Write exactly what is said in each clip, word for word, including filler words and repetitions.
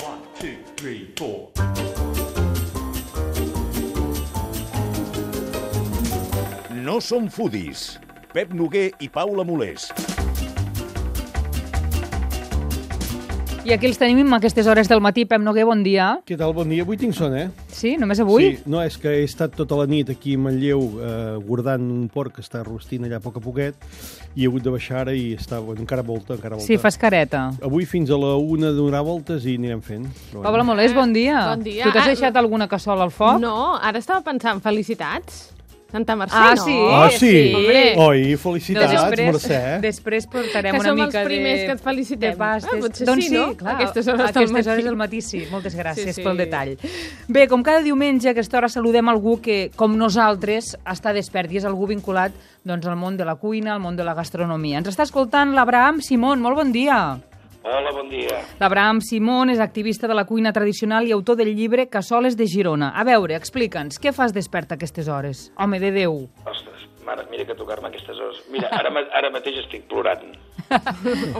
One, two, three, four. No som foodies. Pep Noguer i Paula Molés. I aquí els tenim a aquestes hores del matí. Pep Noguer, bon dia. Què tal? Bon dia. Avui tinc son, eh? Sí? Només avui? Sí. No, és que he estat tota la nit aquí a Manlleu eh, guardant un porc que està rostint allà a poc a poquet i he hagut de baixar ara i està, bueno, encara volta, encara volta. Sí, fas careta. Avui fins a la una donar voltes i anirem fent. Bueno. Paula Molés, bon dia. Bon dia. Tu t'has deixat alguna cassola al foc? No, ara estava pensant, felicitats. Santa Mercè, ah, no? sí? Ah, sí? Hombre. Oi, felicitats, no, després, Mercè. Després portarem que una mica de... Que som els primers que et felicitem. De pastes. Ah, potser doncs sí, no? clar, Aquestes hores, aquestes del, hores del matí sí. Moltes gràcies sí, sí. pel detall. Bé, com cada diumenge a aquesta hora saludem algú que, com nosaltres, està despert i és algú vinculat doncs, al món de la cuina, al món de la gastronomia. Ens està escoltant l'Abraham Simón. Molt bon dia. Hola, bon dia. L'Abraham Simón és activista de la cuina tradicional i autor del llibre Cassoles de Girona. A veure, explica'ns, què fas despert a aquestes hores? Home de Déu. Ostres, mare, mira que tocar-me aquestes hores. Mira, ara, ara mateix estic plorant.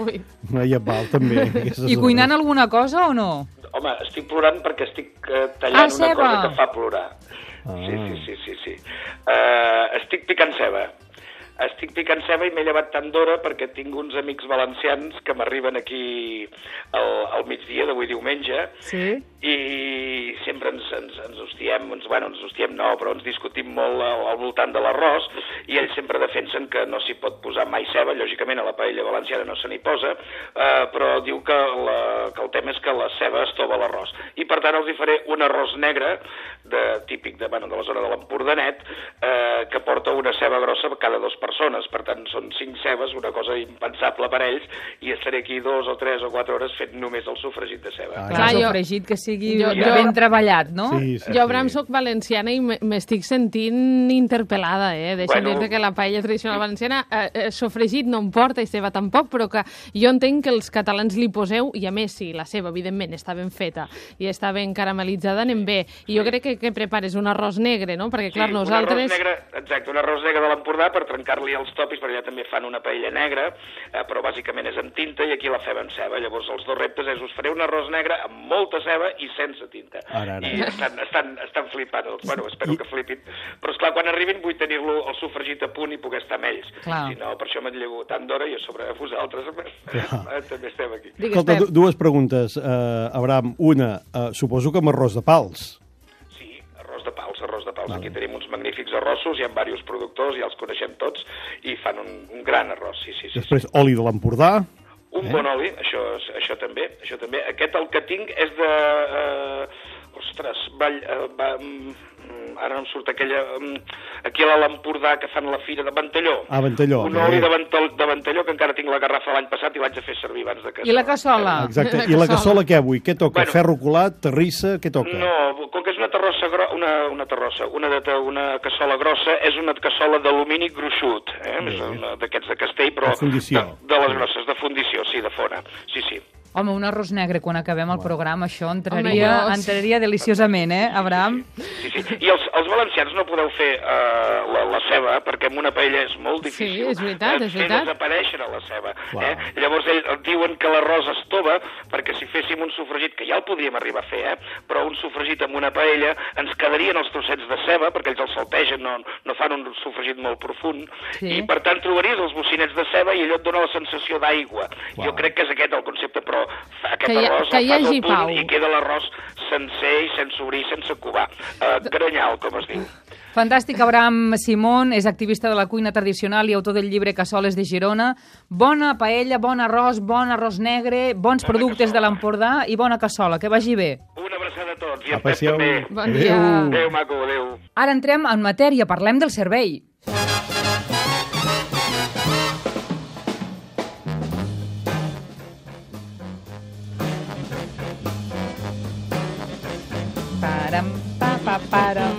Ui. No, ja val, també. I cuinant hores. Alguna cosa o no? Home, estic plorant perquè estic uh, tallant ah, una ceba. cosa que fa plorar. Ah. Sí, sí, sí, sí. sí. Uh, estic picant ceba. Estic picant ceba i m'he llevat tant d'hora perquè tinc uns amics valencians que m'arriben aquí al, al migdia d'avui diumenge sí? i sempre ens, ens, ens hostiem, ens, bueno, ens hostiem no, però ens discutim molt al, al voltant de l'arròs i ells sempre defensen que no s'hi pot posar mai ceba, lògicament a la paella valenciana no se n'hi posa, eh, però diu que, la, que el tema és que la ceba es tova l'arròs. I per tant els hi faré un arròs negre, de, típic de, bueno, de la zona de l'Empordanet, eh, que porta una ceba grossa cada dos persones, per tant són cinc cebes, una cosa impensable per ells, i estaré aquí dos o tres o quatre hores fent només el sofregit de ceba. Ah, Clar, el sofregit que sigui jo, jo, ben treballat, no? Sí, sí, jo, Bram, soc valenciana i m'estic sentint interpel·lada, eh? Deixa'm bueno, dir que la paella tradicional valenciana eh, eh, sofregit no em porta i ceba tampoc, però que jo entenc que els catalans li poseu, i a més, si la ceba, evidentment, està ben feta i està ben caramelitzada, anem bé. I jo crec que, que prepares un arròs negre, no? Perquè, clar, sí, nosaltres... un arròs negre, exacte, un arròs negre de l'Empordà per trencar-li els topis, perquè allà també fan una paella negra, eh, però bàsicament és amb tinta i aquí la fem amb ceba. Llavors els dos reptes és, us faré un arròs negre amb molta ceba i sense tinta. Ara, ara. I estan, estan, estan flipant, bueno, espero I... que flipin. Però esclar, quan arribin vull tenir-lo el sofregit a punt i poder estar amb ells. Clar. Si no, per això me'n llevo tant d'hora i a sobre vosaltres també estem aquí. Digues, Escolta, dues preguntes, uh, Abraham. Una, uh, suposo que amb arròs de pals. Arròs de pals, arròs de pals. Vale. Aquí tenim uns magnífics arrossos, hi ha diversos productors, ja els coneixem tots, i fan un, un gran arròs, sí, sí. sí Després, sí. oli de l'Empordà. Un eh? bon oli, això, això també, això també. Aquest el que tinc és de... Eh, ostres, vall, eh, va, mm, ara no em surt aquella... Mm, aquí a l'Empordà que fan la fira de Ventalló. Ah, Ventalló. Un oli de, Ventall, de Ventalló que encara tinc la garrafa l'any passat i l'haig de fer servir abans de cassola. I la cassola? Exacte. I la cassola què avui? Què toca? Bueno, ferro colat, terrissa, què toca? No, com que és una terrossa, gro... una, una terrossa, una, de, una cassola grossa, és una cassola d'alumini gruixut, eh? És una d'aquests de castell, però de, de les grosses, de fundició, sí, de fona. Sí, sí. Home, un arròs negre quan acabem el programa, això entraria, Home, entraria deliciosament, eh, Abraham? Sí, sí, sí. I els, els valencians no podeu fer uh, la, la ceba, perquè amb una paella és molt difícil. Sí, és veritat, és fer veritat. desaparèixer la ceba. Eh? Llavors ells diuen que l'arròs es tova, perquè si féssim un sofregit, que ja el podríem arribar a fer, eh? Però un sofregit amb una paella ens quedarien els trossets de ceba, perquè ells els saltegen, no, no fan un sofregit molt profund, sí. I per tant trobaries els bocinets de ceba i allò et dona la sensació d'aigua. Jo crec que és aquest el concepte, però aquest que hi, arròs que hi el fas hagi al punt pau. I queda l'arròs sencer i sense obrir, sense covar. Uh, granyal, com es diu. Fantàstic, Abraham Simón, és activista de la cuina tradicional i autor del llibre Cassoles de Girona. Bona paella, bon arròs, bon arròs negre, bons bona productes cassola de l'Empordà i bona cassola. Que vagi bé. Una abraçada a tots i a Pep també. Bon dia. Adéu, adéu maco, adéu. Ara entrem en matèria, parlem del servei. Param, pa, pa, param.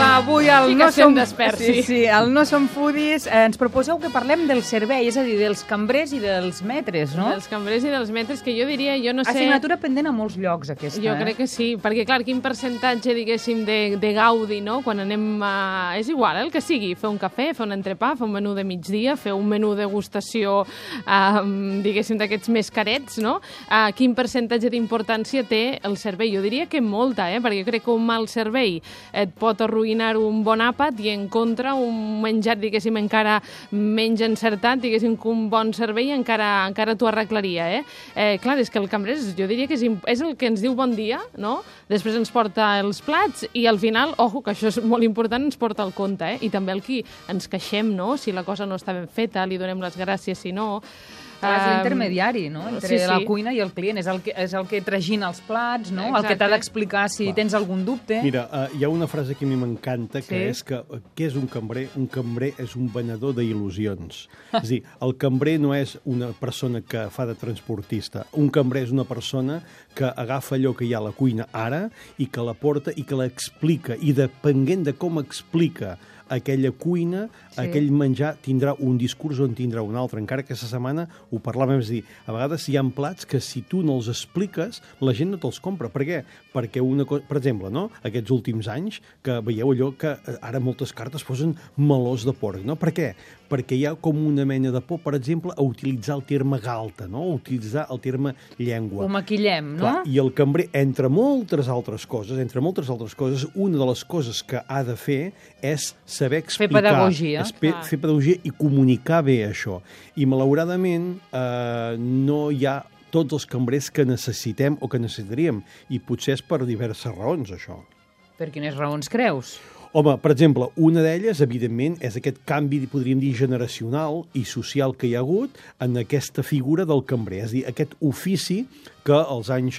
Va, avui avui al Sí que No estem Som... desperts, sí, sí. sí, al No Som Foodies eh, ens proposeu que parlem del servei, és a dir, dels cambrers i dels metres, no? Dels cambrers i dels metres, que jo diria, jo no sé... Assignatura pendent a molts llocs, aquesta, Jo eh? crec que sí, perquè, clar, quin percentatge, diguéssim, de, de gaudi, no?, quan anem a... És igual, eh, el que sigui, fer un cafè, fer un entrepà, fer un menú de migdia, fer un menú degustació, eh, diguéssim, d'aquests més carets, no? Eh, quin percentatge d'importància té el servei? Jo diria que molta, eh?, perquè jo crec que un mal servei et pot arruïnar un bon àpat i, en contra, un menjar, diguéssim, encara menys encertat, diguéssim, que un bon servei encara, encara t'ho arreglaria, eh? eh? Clar, és que el cambrer, jo diria que és, és el que ens diu bon dia, no? Després ens porta els plats i al final, ojo, que això és molt important, ens porta el compte, eh? I també el qui ens queixem, no?, si la cosa no està ben feta, li donem les gràcies, si no... Clar, és l'intermediari, no?, entre sí, sí. la cuina i el client. És el que, és el que tragina els plats, no?, Exacte. el que t'ha d'explicar si Clar. tens algun dubte. Mira, uh, hi ha una frase que a mi m'encanta, que Sí. és que uh, què és un cambrer? Un cambrer és un venedor d'il·lusions. És a dir, el cambrer no és una persona que fa de transportista. Un cambrer és una persona que agafa allò que hi ha a la cuina ara i que la porta i que l'explica. I depenent de com explica aquella cuina, sí. aquell menjar tindrà un discurs o en tindrà un altre. Encara que aquesta setmana ho parlàvem, és a dir, a vegades hi ha plats que si tu no els expliques, la gent no te'ls compra. Per què? Perquè una cosa, per exemple, no?, aquests últims anys, que veieu allò que ara moltes cartes posen melós de porc, no? Per què? Perquè hi ha com una mena de por, per exemple, a utilitzar el terme galta, no?, a utilitzar el terme llengua. Ho maquillem, no? Clar, i el cambrer, entre moltes altres coses, entre moltes altres coses, una de les coses que ha de fer és saber explicar. Fer pedagogia. És pe- fer pedagogia i comunicar bé això. I, malauradament, eh, no hi ha tots els cambrers que necessitem o que necessitaríem. I potser és per diverses raons, això. Per quines raons creus? Home, per exemple, una d'elles, evidentment, és aquest canvi, podríem dir, generacional i social que hi ha hagut en aquesta figura del cambrer. És a dir, aquest ofici que als anys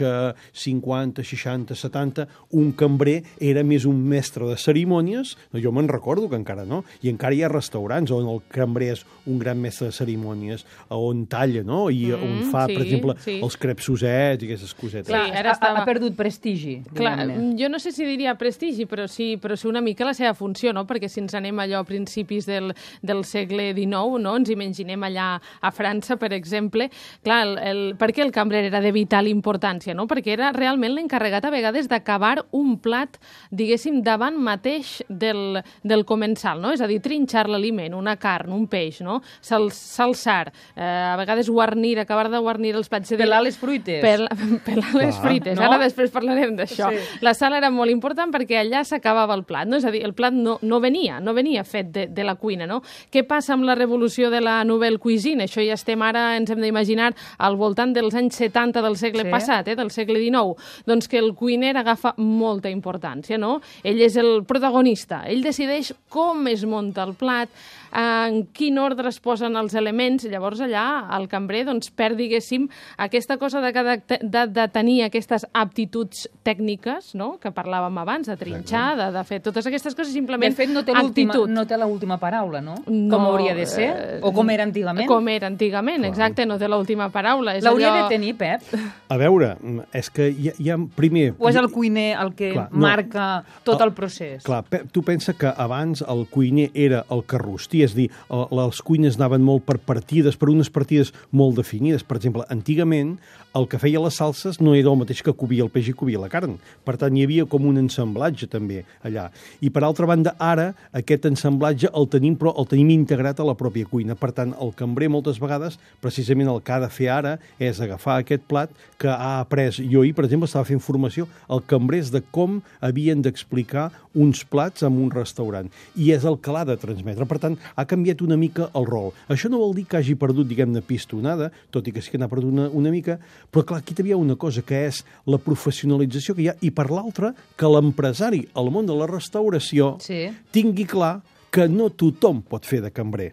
cinquanta, seixanta, setanta, un cambrer era més un mestre de cerimònies. No, jo me'n recordo que encara no. I encara hi ha restaurants on el cambrer és un gran mestre de cerimònies, on talla, no?, i Mm, on fa, sí, per exemple, sí. els crepsosets i aquestes cosetes. Clar, Sí, ara ha, estava- ha perdut prestigi, Clar, diguem-ne. jo no sé si diria prestigi, però sí, però sí una mica la seva funció, no? Perquè si ens anem allò a principis del, del segle dinou, no?, ens imaginem allà a França, per exemple, clar, el, el, per què el cambrer era de vital importància, no? Perquè era realment l'encarregat a vegades d'acabar un plat, diguéssim, davant mateix del, del comensal, no? És a dir, trinxar l'aliment, una carn, un peix, no? Sal, salsar, eh, a vegades guarnir, acabar de guarnir els plats. Pelar les fruites. Pel, pelar les Clar. fruites. No? Ara després parlarem d'això. Sí. La sal era molt important perquè allà s'acabava el plat, no? És a dir, el plat no, no venia, no venia fet de, de la cuina, no? Què passa amb la revolució de la nouvelle cuisine? Això ja estem ara, ens hem d'imaginar, al voltant dels anys setanta del segle Sí. passat, eh, del segle dinou. Doncs que el cuiner agafa molta importància, no? Ell és el protagonista, ell decideix com es munta el plat, en quin ordre es posen els elements. Llavors allà el cambrer doncs, perd, diguéssim, aquesta cosa de, de, de, de tenir aquestes aptituds tècniques, no?, que parlàvem abans, de trinxar, de, de fer totes aquestes coses, simplement De fet, no té l'última actitud. no té l'última paraula, no? No, Com hauria de ser? eh, O com era antigament? Com era antigament, exacte, no té l'última paraula. És L'hauria allò... de tenir, Pep? A veure, és que hi ha, hi ha primer... O és el cuiner el que Clar, no. marca tot El- el procés? Clar, Pep, tu pensa que abans el cuiner era el que rostia, és a dir, el- les cuines anaven molt per partides, per unes partides molt definides. Per exemple, antigament el que feia les salses no era el mateix que cobia el peix i cobia la carn. Per tant, hi havia com un ensamblatge també allà. I per altra banda, ara aquest ensamblatge el tenim, però el tenim integrat a la pròpia cuina. Per tant, el cambrer moltes vegades, precisament el que ha de fer ara és agafar aquest plat que ha après. Jo ahir, per exemple, estava fent formació al cambrers de com havien d'explicar uns plats en un restaurant. I és el que l'ha de transmetre. Per tant, ha canviat una mica el rol. Això no vol dir que hagi perdut, diguem-ne, pistonada, tot i que sí que n'ha perdut una, una mica, però clar, aquí també hi ha una cosa, que és la professionalització que hi ha, i per l'altra, que l'empresari al món de la restauració Sí. tingui clar que no tothom pot fer de cambrer.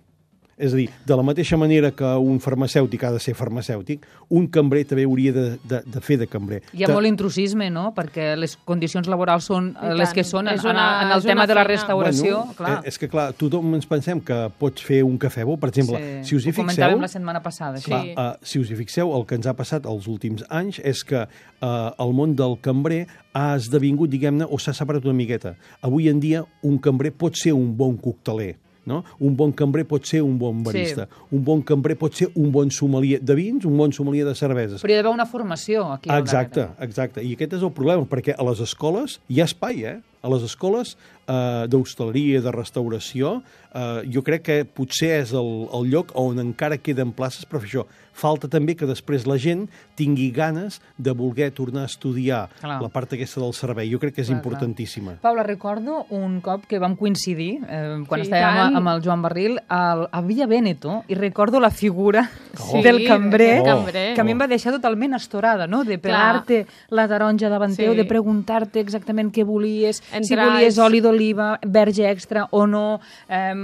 És a dir, de la mateixa manera que un farmacèutic ha de ser farmacèutic, un cambrer també hauria de, de, de fer de cambrer. Hi ha Te... molt intrusisme, no?, perquè les condicions laborals són I les tant. que són en, És una- en el és tema una de la feina. restauració. Bueno, clar. eh, és que, clar, tothom ens pensem que pots fer un cafè bo. Per exemple, Sí, si us hi ho fixeu... comentàvem la setmana passada. Sí. Clar, uh, si us hi fixeu, el que ens ha passat els últims anys és que uh, el món del cambrer ha esdevingut, diguem-ne, o s'ha separat una miqueta. Avui en dia, un cambrer pot ser un bon cocteler, no? Un bon cambrer pot ser un bon barista. Sí. Un bon cambrer pot ser un bon sommelier de vins, un bon sommelier de cerveses. Però hi ha d'haver una formació aquí. al Exacte, darrere. exacte. I aquest és el problema, perquè a les escoles hi ha espai, eh? A les escoles eh, d'hostaleria, de restauració, eh, jo crec que potser és el, el lloc on encara queden places per fer això. Falta també que després la gent tingui ganes de voler tornar a estudiar Clar. la part aquesta del servei. Jo crec que és Clar, importantíssima. Paula, recordo un cop que vam coincidir, eh, quan Sí, estàvem tant. amb el Joan Barril, al, a Villa Veneto, i recordo la figura Sí, del cambrer, del cambrer. que a mi em va deixar totalment estorada, no?, de pelar-te la taronja davant Sí. teu, de preguntar-te exactament què volies, si Entrar volies és- oli d'oliva, verge extra o no, eh,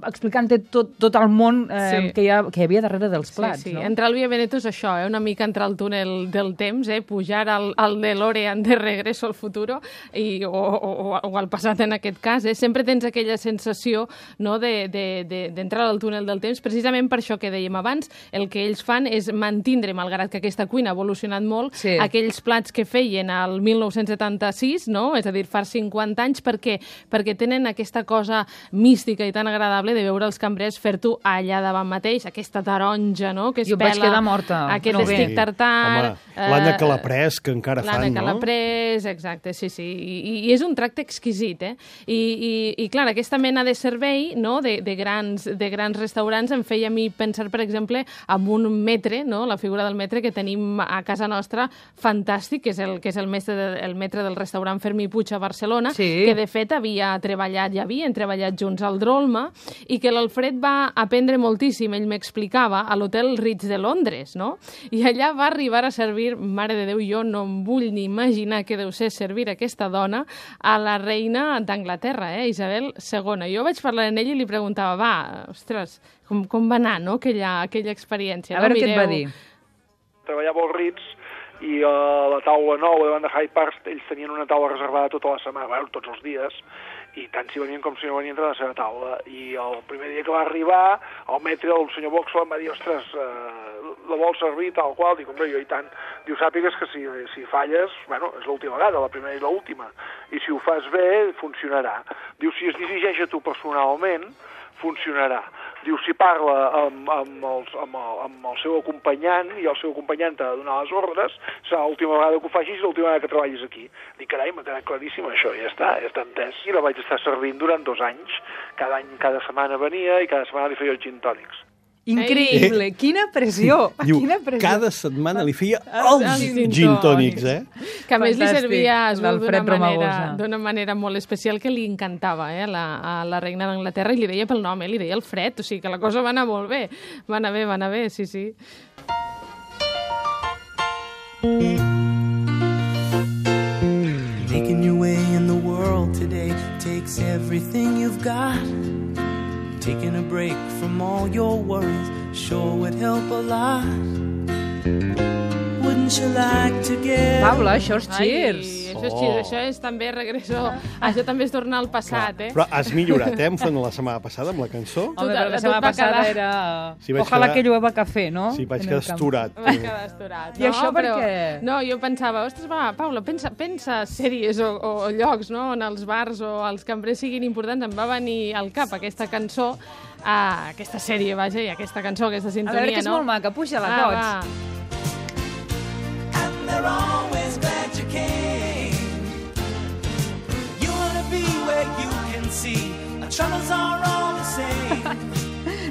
explicant-te tot, tot el món eh, Sí. que, hi ha, que hi havia darrere dels plats. Sí, sí. No? Entrar al Via Veneto és això, eh? Una mica entrar al túnel del temps, eh? Pujar al, al DeLorean de Regreso al Futuro i, o, o, o al passat en aquest cas. Eh? Sempre tens aquella sensació, no?, de, de, de, d'entrar al túnel del temps, precisament per això que dèiem abans. El que ells fan és mantindre, malgrat que aquesta cuina ha evolucionat molt, Sí. aquells plats que feien al mil nou-cents setanta-sis, no?, és a dir, fa cinquanta anys, perquè perquè tenen aquesta cosa mística i tan agradable de veure els cambrers fer-t'ho allà davant mateix, aquesta taronja, no?, que es Jo em vaig pela, quedar morta, aquest no bé. estic tartar... Home, l'Anna eh, Calaprès, que encara L'Anna fan, no? Calaprès, exacte, sí, sí. I, I és un tracte exquisit, eh? I, i, i clar, aquesta mena de servei, no?, de, de, grans, de grans restaurants em feia a mi pensar, per exemple, en un metre, no?, la figura del metre que tenim a casa nostra, fantàstic, que és el, que és el, mestre de, el metre del restaurant Fermí Puig a Barcelona, Sí. que de fet havia treballat, ja havien treballat junts al Drolma, i que l'Alfred va aprendre moltíssim, ell m'explicava, a l'hotel Ritz de Londres, no? I allà va arribar a servir, mare de Déu, jo no em vull ni imaginar que deu ser servir aquesta dona a la reina d'Anglaterra, eh, Isabel segona. Jo vaig parlar amb ell i li preguntava, va, ostres, com, com va anar, no?, aquella, aquella experiència. A no? veure què et va Mireu. dir. Treballava al Ritz i a la taula nova davant de Hyde Park ells tenien una taula reservada tota la setmana, bueno, tots els dies, i tant si venien com si no venien a la seva taula. I el primer dia que va arribar, el metre, el senyor Boxall, em va dir, ostres, eh, la vol servir tal qual? Dic, hombre, jo i tant. Diu, sàpigues que si, si falles, bueno, és l'última vegada, la primera i l'última. I si ho fas bé, funcionarà. Diu, si es dirigeix a tu personalment, funcionarà. Diu, si parla amb, amb, els, amb, el, amb el seu acompanyant i el seu acompanyant t'ha de donar les ordres, serà l'última vegada que ho facis i l'última vegada que treballis aquí. Dic, carai, m'ha quedat claríssim això, ja està, ja està entès. I la vaig estar servint durant dos anys. Cada any, cada setmana venia i cada setmana li feia els gin tònics. Increïble, quina pressió, Diu, quina pressió. cada setmana li feia Els els gin gin tònics, eh? Que a més li Fantàstic, servia es veu d'una l'Alfred manera, Romagosa. d'una manera molt especial que li encantava eh, a, la, a la reina d'Anglaterra i li deia pel nom, eh, li deia Alfred, o sigui que la cosa va anar molt bé, va anar bé, va anar bé, sí, sí. Making your way in the world today takes everything you've got. Taking a break from all your worries sure would help a lot. Wouldn't you like to get... Paula, això és Ai, Cheers. això és Cheers, això és també regreso, això també és tornar al passat, eh? Però has millorat, eh, enfront de la setmana passada amb la cançó? Home, Tot- però la tot setmana va passada quedar- era... Sí, vaig Ojalà quedar- que llueva cafè, no? Sí, vaig En quedar el camp. estorat. Va quedar estorat. I això per però, què? No, jo pensava, ostres, va, Paula, pensa, pensa sèries o, o, o llocs, no?, on els bars o els cambrers siguin importants. Em va venir al cap aquesta cançó, ah, aquesta sèrie, vaja, i aquesta cançó, aquesta A sintonia, veure, que és no? molt maca, puja-la Va, tots. va. And they're always glad you came. You wanna be where you can see our troubles are all the same.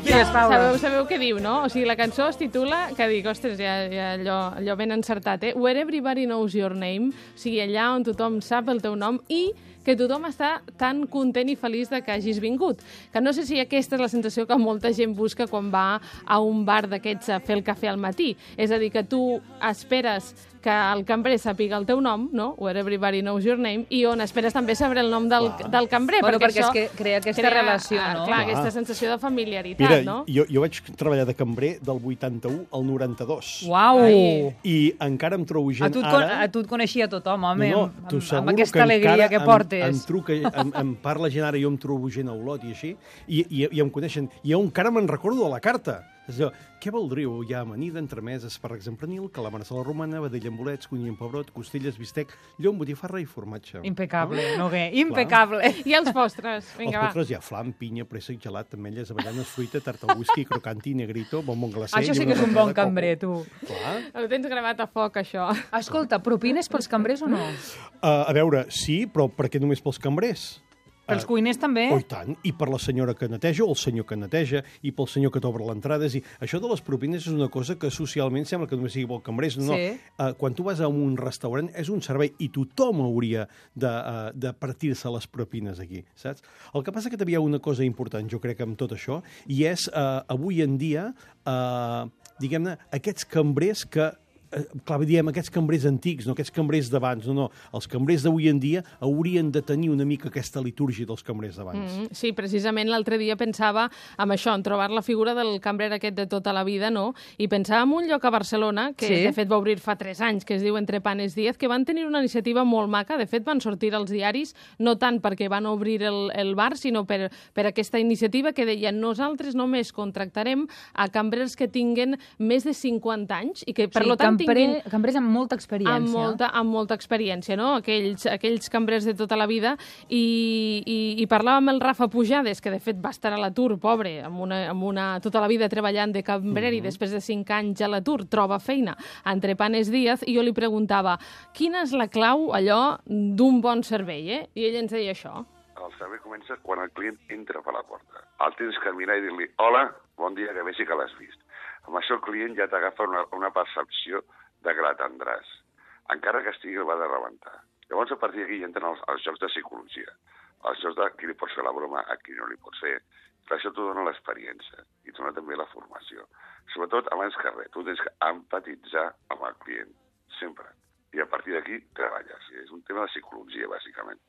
Digues, Paula. Sabeu, sabeu què diu, no? O sigui, la cançó es titula, que dic, ostres, ja, ja allò, allò ben encertat, eh? Where everybody knows your name, o sigui, allà on tothom sap el teu nom i que tothom està tan content i feliç de que hagis vingut. Que no sé si aquesta és la sensació que molta gent busca quan va a un bar d'aquests a fer el cafè al matí. És a dir, que tu esperes que el cambrer sàpiga el teu nom, no? Where everybody knows your name, i on esperes també saber el nom del, del cambrer. Bueno, perquè això és que crea aquesta relació, no? Clar, Clar. aquesta sensació de familiaritat. Mira, mira, no? jo, jo vaig treballar de cambrer del vuitanta-u al noranta-dos. Uau! Ai. I encara em trobo A gent tu, et, con- ara... a tu et coneixia tothom, home, no, amb, t'ho amb, asseguro amb aquesta alegria encara que em- portes. Em, truca, em, em parla gent ara, jo em trobo gent a Olot i així, i, i, i em coneixen. I jo encara me'n recordo de la carta. És allò, què voldríeu? Hi ha amanida, entremès, espàrrecs en pernil, calamars a la romana, vedella amb bolets, conill amb pebrot, costelles, bistec, llom, botifarra i formatge. Impecable, Noguer, impecable. I els postres? Els Vinga, va. postres hi ha flam, pinya, préssec, gelat, ametlles, avellanes, fruita, tarta al whisky, crocanti, negrito, bombon glacé... Això sí i que és un una bon de coco. cambrer, tu. Clar. Ho tens gravat a foc, això. Escolta, propines pels cambrers o no? Uh, a veure, sí, però per què només pels cambrers? Pels cuiners també? Oh, i tant. I per la senyora que neteja, o el senyor que neteja, i pel senyor que t'obre l'entrada. És a dir, això de les propines és una cosa que socialment sembla que només sigui pel cambrers. No, Sí. no. Uh, quan tu vas a un restaurant és un servei i tothom hauria de, uh, de partir-se les propines aquí, saps? El que passa que també hi ha una cosa important, jo crec, amb tot això, i és, uh, avui en dia, uh, diguem-ne, aquests cambrers que clar, diem, aquests cambrers antics, no aquests cambrers d'abans, no, no. Els cambrers d'avui en dia haurien de tenir una mica aquesta litúrgia dels cambrers d'abans. Mm, sí, precisament l'altre dia pensava en això, en trobar la figura del cambrer aquest de tota la vida, no? I pensava en un lloc a Barcelona, que Sí. de fet va obrir fa tres anys, que es diu Entre Panes Díez, que van tenir una iniciativa molt maca, de fet van sortir als diaris, no tant perquè van obrir el, el bar, sinó per, per aquesta iniciativa que deia nosaltres només contractarem a cambrers que tinguen més de cinquanta anys i que, per Sí, lo tant, cambrer, tinguin cambrers amb molta experiència. amb molta, amb molta experiència, no? Aquells, aquells cambrers de tota la vida. I, i, i parlava amb el Rafa Pujades, que de fet va estar a l'atur, pobre, amb una, amb una, tota la vida treballant de cambrer, mm -hmm. i després de cinc anys a l'atur troba feina entre Panes Díaz, i jo li preguntava quina és la clau, allò, d'un bon servei, eh? I ell ens deia això. El servei comença quan el client entra per la porta. El tens que mirar i dir-li hola, bon dia, que vegi que l'has vist. Amb això el client ja t'agafa una, una percepció de que l'atendràs, encara que estigui el va de rebentar. Llavors, a partir d'aquí entren els, els jocs de psicologia, els jocs de qui li pots fer la broma, a qui no li pots fer. Per això t'ho dona l'experiència i t'ho dona també la formació. Sobretot, abans que res, tu tens que empatitzar amb el client, sempre. I a partir d'aquí treballes. És un tema de psicologia, bàsicament.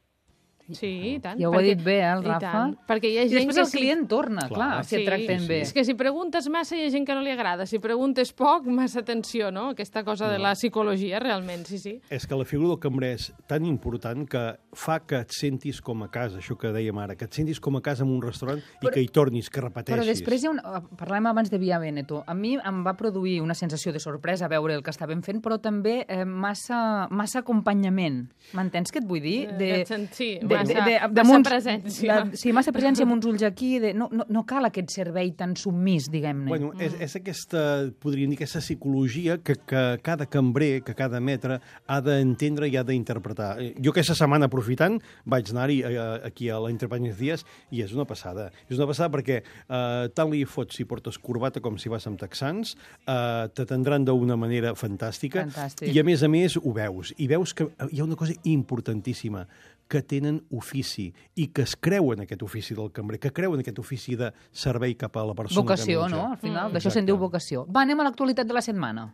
Sí, i tant. Ja ho ha dit bé, eh, el i Rafa. tant, perquè hi ha I gent després que el sí- client torna, clar, Clar, si et tracten sí, bé. És que si preguntes massa hi ha gent que no li agrada, si preguntes poc, massa atenció, no? Aquesta cosa de la psicologia, realment, sí, sí. És que la figura del cambrer és tan important que fa que et sentis com a casa, això que dèiem ara, que et sentis com a casa en un restaurant i Però- que hi tornis, que repeteixis. Però després hi ha un... Parlàvem abans de Via Veneto. A mi em va produir una sensació de sorpresa veure el que estàvem fent, però també eh, massa, massa acompanyament. M'entens què et vull dir? Eh, aquest sent- sí, de, massa- de, de, massa damunt- presència. De, sí, massa presència amb uns ulls aquí. De, no, no, no cal aquest servei tan submís, diguem-ne. Bueno, és, és aquesta, podríem dir, aquesta psicologia que, que cada cambrer, que cada metre ha d'entendre i ha d'interpretar. Eh, Jo aquesta setmana, aprofitant, vaig anar-hi eh, aquí a l'Entrepanes Díaz i és una passada. És una passada perquè eh, tant li fots si portes corbata com si vas amb texans, eh, t'atendran d'una manera fantàstica. Fantàstic. I a més a més ho veus. I veus que hi ha una cosa importantíssima, que tenen ofici i que es creuen aquest ofici del cambrer, que creuen aquest ofici de servei cap a la persona Vocació, que menja. no? Al final, Mm. d'això se'n diu Exacte. vocació. Va, anem a l'actualitat de la setmana.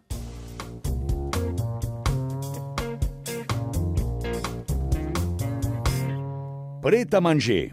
Pret a manger.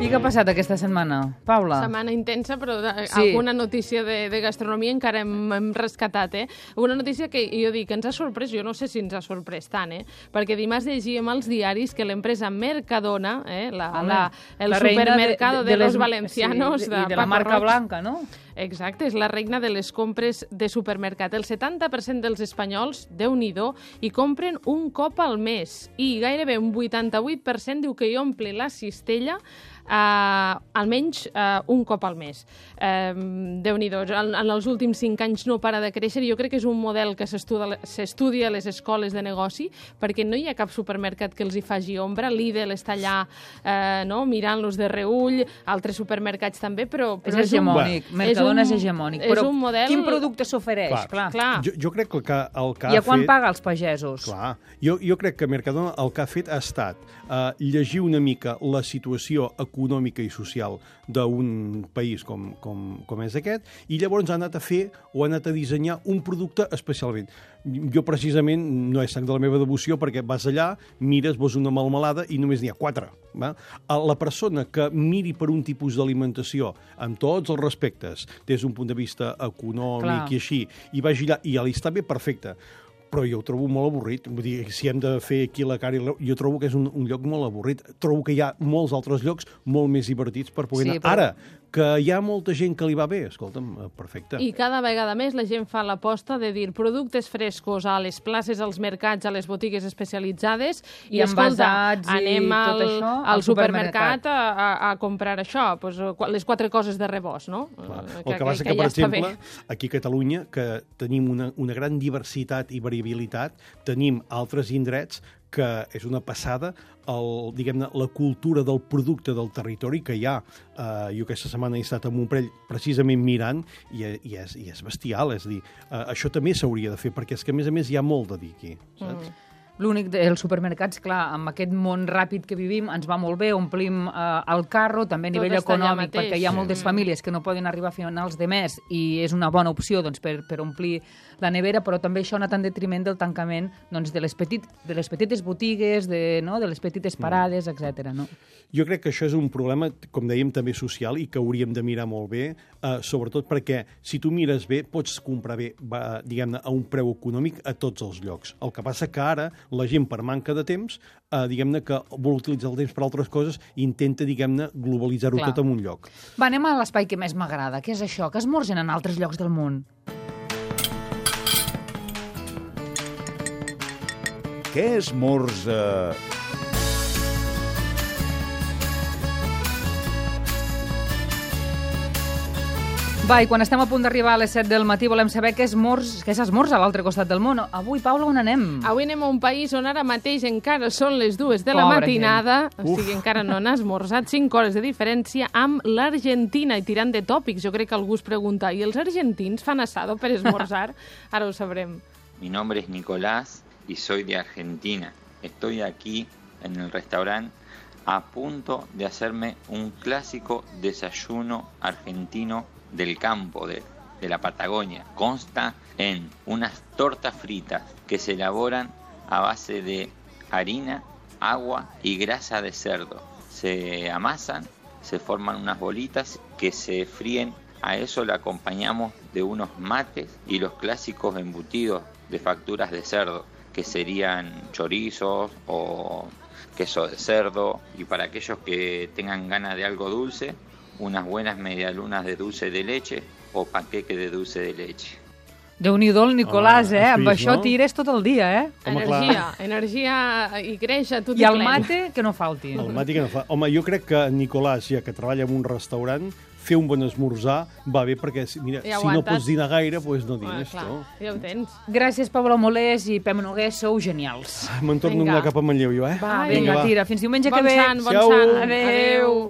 I què ha passat aquesta setmana? Paula? Setmana intensa, però de, Sí. alguna notícia de, de gastronomia encara hem, hem rescatat, eh? Una notícia que jo dic, ens ha sorprès, jo no sé si ens ha sorprès tant, eh? Perquè dimarts llegíem als diaris que l'empresa Mercadona, eh? la, Home, la, el la reina supermercado de, de, les- los valencianos, sí, de, i de la Paco marca Roig. blanca, no? Exacte, és la regna de les compres de supermercat. El setanta per cent dels espanyols, Déu-n'hi-do, hi compren un cop al mes i gairebé un vuitanta-vuit per cent diu que hi omple la cistella Uh, almenys uh, un cop al mes. Uh, Déu-n'hi-do, en, en els últims cinc anys no para de créixer i jo crec que és un model que s'estudia a les escoles de negoci perquè no hi ha cap supermercat que els hi faci ombra. Lidl està allà uh, no, mirant-los de reull, altres supermercats també, però, És però hegemònic. un, Mercadona és, un- hegemònic. És Però un model... quin producte s'ofereix? Clar. Clar. Clar. Jo, jo crec que el que, el que I a ha quan fet... paga els pagesos? Clar, jo, jo crec que Mercadona el que ha fet ha estat uh, llegir una mica la situació econòmica i social d'un país com, com, com és aquest, i llavors ha anat a fer o ha anat a dissenyar un producte especialment. Jo, precisament, no és sang de la meva devoció, perquè vas allà, mires, vols una melmelada i només n'hi ha quatre. Va? La persona que miri per un tipus d'alimentació, amb tots els respectes, des d'un punt de vista econòmic Clar. i així, i vagi allà, i ja li està bé, perfecte. Però jo ho trobo molt avorrit. Vull dir, si hem de fer aquí la cara, jo trobo que és un, un lloc molt avorrit. Trobo que hi ha molts altres llocs molt més divertits per poder sí, anar. Però... Ara, que hi ha molta gent que li va bé, escolta'm, perfecte. I cada vegada més la gent fa l'aposta de dir productes frescos a les places, als mercats, a les botigues especialitzades, i, i escolta, anem i al, això, al, al supermercat a, a, a comprar això, pues, les quatre coses de rebost, no? Clar. El que, que passa que, que, per ja exemple, aquí a Catalunya, que tenim una, una gran diversitat i variabilitat, tenim altres indrets que és una passada, el, diguem-ne, la cultura del producte del territori que hi ha. Uh, jo aquesta setmana he estat a Montprell precisament mirant i, i, és, i és bestial, és a dir, uh, això també s'hauria de fer, perquè és que a més a més hi ha molt de dir aquí, saps? Mm. L'únic dels supermercats, clar, amb aquest món ràpid que vivim, ens va molt bé, omplim eh, el carro, també a nivell econòmic, perquè hi ha moltes famílies que no poden arribar a finals de mes i és una bona opció doncs, per, per omplir la nevera, però també això ha anat en detriment del tancament doncs, de, les petit, de les petites botigues, de, no, de les petites parades, mm. etcètera. No? Jo crec que això és un problema, com dèiem, també social i que hauríem de mirar molt bé, eh, sobretot perquè si tu mires bé, pots comprar bé, va, diguem-ne, a un preu econòmic a tots els llocs. El que passa que ara la gent, per manca de temps, eh, diguem-ne que vol utilitzar el temps per altres coses i intenta, diguem-ne, globalitzar-ho tot en un lloc. Va, anem a l'espai que més m'agrada. Què és això? Que esmorzen en altres llocs del món? Què esmorza... Va, i quan estem a punt d'arribar a les set del matí volem saber què s'esmorza a l'altre costat del món. Avui, Paula, on anem? Avui anem a un país on ara mateix encara són les dues de la Pobre matinada, gent. O sigui, encara no n'ha esmorzat, cinc hores de diferència amb l'Argentina. I tirant de tòpics, jo crec que algú es pregunta, i els argentins fan asado per esmorzar? Ara ho sabrem. Mi nombre es Nicolás y soy de Argentina. Estoy aquí en el restaurante a punto de hacerme un clásico desayuno argentino del campo, de, de la Patagonia. Consta en unas tortas fritas que se elaboran a base de harina, agua y grasa de cerdo. Se amasan, se forman unas bolitas que se fríen. A eso le acompañamos de unos mates y los clásicos embutidos de facturas de cerdo, que serían chorizos o queso de cerdo. Y para aquellos que tengan ganas de algo dulce, unas buenas medialunas de dulce de leche o panqueque de dulce de leche. Déu-n'hi-do el Nicolàs, eh? Amb això tires tot el dia, eh? Energia, energia i creix a tot i el mate, que no falti. El mate que no fa. Home, jo crec que Nicolàs, ja que treballa en un restaurant, fer un bon esmorzar va bé, perquè mira, ja si no pots dinar gaire, doncs no dines. Ah, clar, ja ho tens. Gràcies, Pablo Molés i Pep Noguer, sou genials. Me'n torno a anar cap a Manlleu, jo, eh? Va, vinga, tira. Fins diumenge bon que ve. Sant, bon sant. Adéu. Adéu.